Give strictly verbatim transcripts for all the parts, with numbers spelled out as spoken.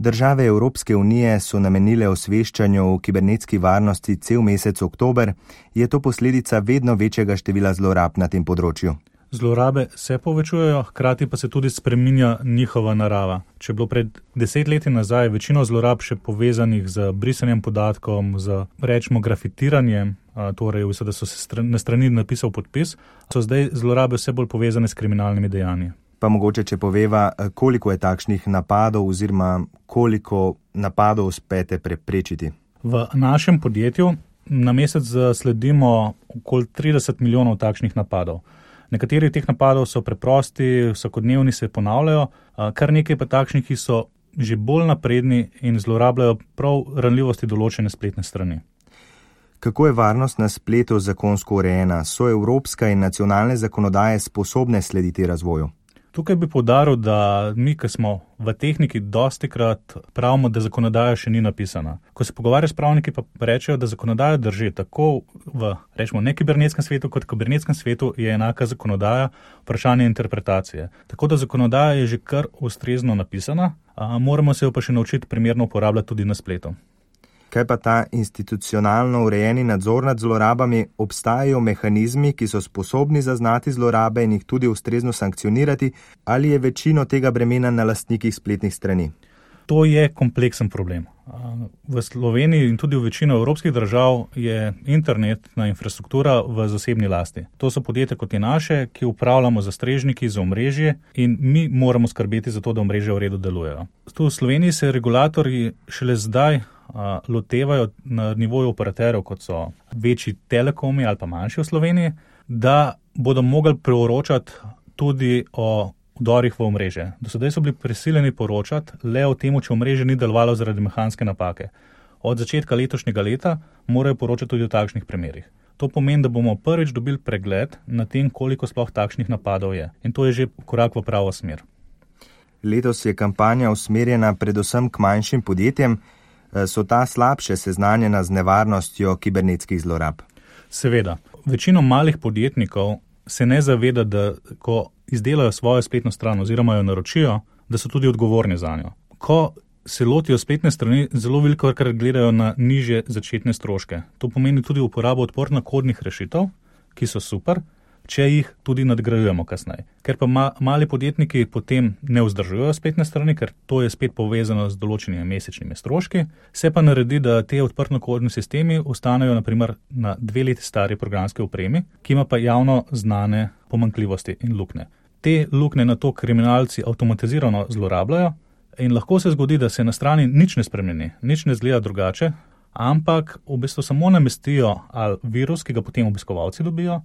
Države Evropske unije so namenile osveščanju o kibernetski varnosti cel mesec oktober. Je to posledica vedno večjega števila zlorab na tem področju? Zlorabe se povečujejo, hkrati pa se tudi spreminja njihova narava. Če je bilo pred deset leti nazaj večino zlorab še povezanih z brisanjem podatkom, z rečemo grafitiranjem, torej da so se na strani napisal podpis, so zdaj zlorabe vse bolj povezane s kriminalnimi dejanji. Pa mogoče, če poveva, koliko je takšnih napadov oziroma koliko napadov uspete preprečiti? V našem podjetju na mesec sledimo okoli trideset milijonov takšnih napadov. Nekateri teh napadov so preprosti, vsakodnevni se ponavljajo, kar nekaj pa takšnih, ki so že bolj napredni in zlorabljajo prav ranljivosti določene spletne strani. Kako je varnost na spletu zakonsko urejena? So evropska in nacionalne zakonodaje sposobne slediti razvoju? Tukaj bi poudaril, da mi, ki smo v tehniki, dostikrat pravimo, da zakonodaja še ni napisana. Ko se pogovarjajo s pravniki, pa rečejo, da zakonodaja drži tako v, rečemo, nekibernetskem svetu, kot v kibernetskem svetu je enaka zakonodaja, vprašanje interpretacije. Tako da zakonodaja je že kar ustrezno napisana, a moramo se jo pa še naučiti primerno uporabljati tudi na spletu. Kaj pa ta institucionalno urejeni nadzor nad zlorabami? Obstajajo mehanizmi, ki so sposobni zaznati zlorabe in jih tudi ustrezno sankcionirati, ali je večino tega bremena na lastnikih spletnih strani? To je kompleksen problem. V Sloveniji in tudi v večino evropskih držav je internetna infrastruktura v zasebni lasti. To so podjetja kot je naše, ki upravljamo za strežniki, za omrežje in mi moramo skrbeti za to, da omrežje v redu delujejo. Tu v Sloveniji se regulatorji šele zdaj a, lotevajo na nivoju operaterjev, kot so večji telekomi ali pa manjši v Sloveniji, da bodo mogli preoročati tudi o vdorih v omrežje. Do sedaj so bili prisiljeni poročati le o tem, če omrežje ni delovalo zaradi mehanske napake. Od začetka letošnjega leta morajo poročati tudi o takšnih primerih. To pomeni, da bomo prvič dobili pregled na tem, koliko sploh takšnih napadov je. In to je že korak v pravo smer. Letos je kampanja usmerjena predvsem k manjšim podjetjem. So ta slabše seznanjena z nevarnostjo kibernetskih zlorab? Seveda. Večino malih podjetnikov se ne zaveda, da ko izdelajo svojo spletno stran oziroma jo naročijo, da so tudi odgovorni za njo. Ko se lotijo spletne strani, zelo veliko kar gledajo na nižje začetne stroške. To pomeni tudi uporabo odporno-kodnih rešitev, ki so super, če jih tudi nadgrajujemo kasneje. Ker pa ma, mali podjetniki potem ne vzdržujejo spletne strani, ker to je spet povezano z določenimi mesečnimi stroški, se pa naredi, da te odprto-kodni sistemi ostanejo naprimer na dve leti stari programski opremi, ki ima pa javno znane pomanjkljivosti in luknje. Te luknje na to kriminalci avtomatizirano zlorabljajo in lahko se zgodi, da se na strani nič ne spremeni, nič ne zgleda drugače, ampak v bistvu samo namestijo ali virus, ki ga potem obiskovalci dobijo,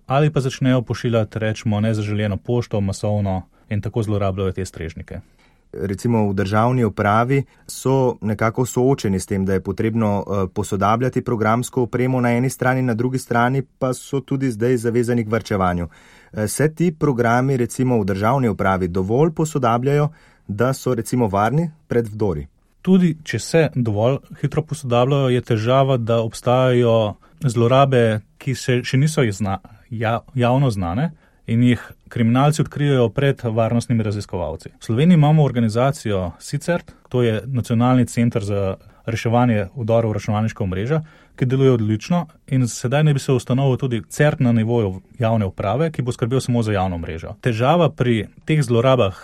ali pa začnejo pošiljati, rečemo, nezaželjeno pošto, masovno in tako zlorabljajo te strežnike. Recimo v državni upravi so nekako soočeni s tem, da je potrebno posodabljati programsko opremo na eni strani, na drugi strani pa so tudi zdaj zavezani k varčevanju. Se ti programi recimo v državni upravi dovolj posodabljajo, da so recimo varni pred vdori? Tudi če se dovolj hitro posodabljajo, je težava, da obstajajo zlorabe, ki se še niso izna, ja, javno znane in jih kriminalci odkrijejo pred varnostnimi raziskovalci. V Sloveniji imamo organizacijo SICERT, to je Nacionalni center za reševanje vdorov v računalniška omrežja, ki deluje odlično in sedaj ne bi se ustanovil tudi CERT na nivoju javne uprave, ki bo skrbel samo za javno mrežo. Težava pri teh zlorabah,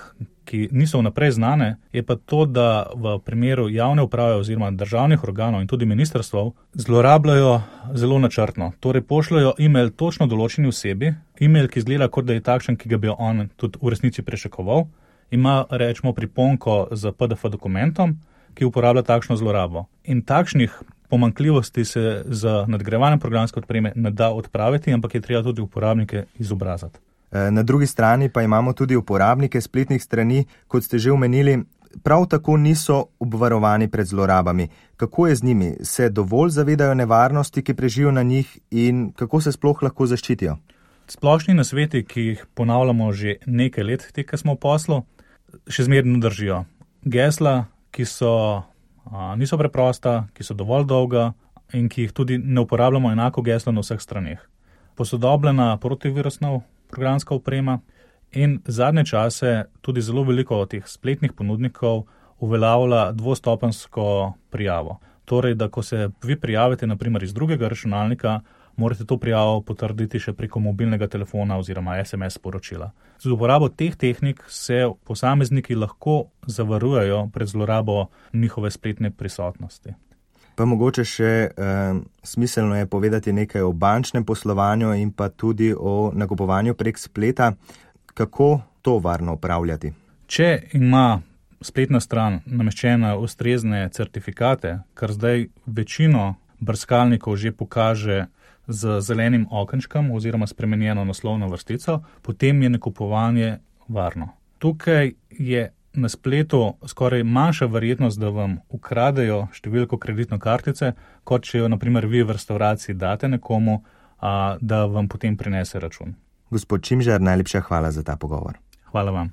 ki niso vnaprej znane, je pa to, da v primeru javne uprave oziroma državnih organov in tudi ministrstv zlorabljajo zelo načrtno. Torej pošljajo e-mail točno določeni osebi, e-mail, ki izgleda, kot da je takšen, ki ga bi on tudi v resnici prečakoval, ima, rečemo, priponko z P D F dokumentom, ki uporablja takšno zlorabo. In takšnih pomanjkljivosti se z nadgrajevanjem programske opreme ne da odpraviti, ampak je treba tudi uporabnike izobraziti. Na drugi strani pa imamo tudi uporabnike spletnih strani, kot ste že omenili, prav tako niso obvarovani pred zlorabami. Kako je z njimi? Se dovolj zavedajo nevarnosti, ki prežijo na njih in kako se sploh lahko zaščitijo? Splošni nasveti, ki jih ponavljamo že nekaj let, te, ki smo v poslu, še zmerno držijo. Gesla, ki so, a, niso preprosta, ki so dovolj dolga in ki jih tudi ne uporabljamo enako geslo na vseh straneh. Posodobljena protivirusna programska oprema in zadnje čase tudi zelo veliko teh spletnih ponudnikov uveljavlja dvostopenjsko prijavo. Torej, da ko se vi prijavite, naprimer iz drugega računalnika, morate to prijavo potrditi še preko mobilnega telefona oziroma es em es sporočila. Z uporabo teh tehnik se posamezniki lahko zavarujejo pred zlorabo njihove spletne prisotnosti. Pa mogoče še eh, smiselno je povedati nekaj o bančnem poslovanju in pa tudi o nakupovanju prek spleta. Kako to varno upravljati? Če ima spletna stran nameščena ustrezne certifikate, kar zdaj večino brskalnikov že pokaže z zelenim okenčkom oziroma spremenjeno naslovno vrstico, potem je nakupovanje varno. Tukaj je na spletu skoraj manjša verjetnost, da vam ukradejo številko kreditne kartice, kot če jo naprimer vi v restavraciji date nekomu, a, da vam potem prinese račun. Gospod Čimžar, najlepša hvala za ta pogovor. Hvala vam.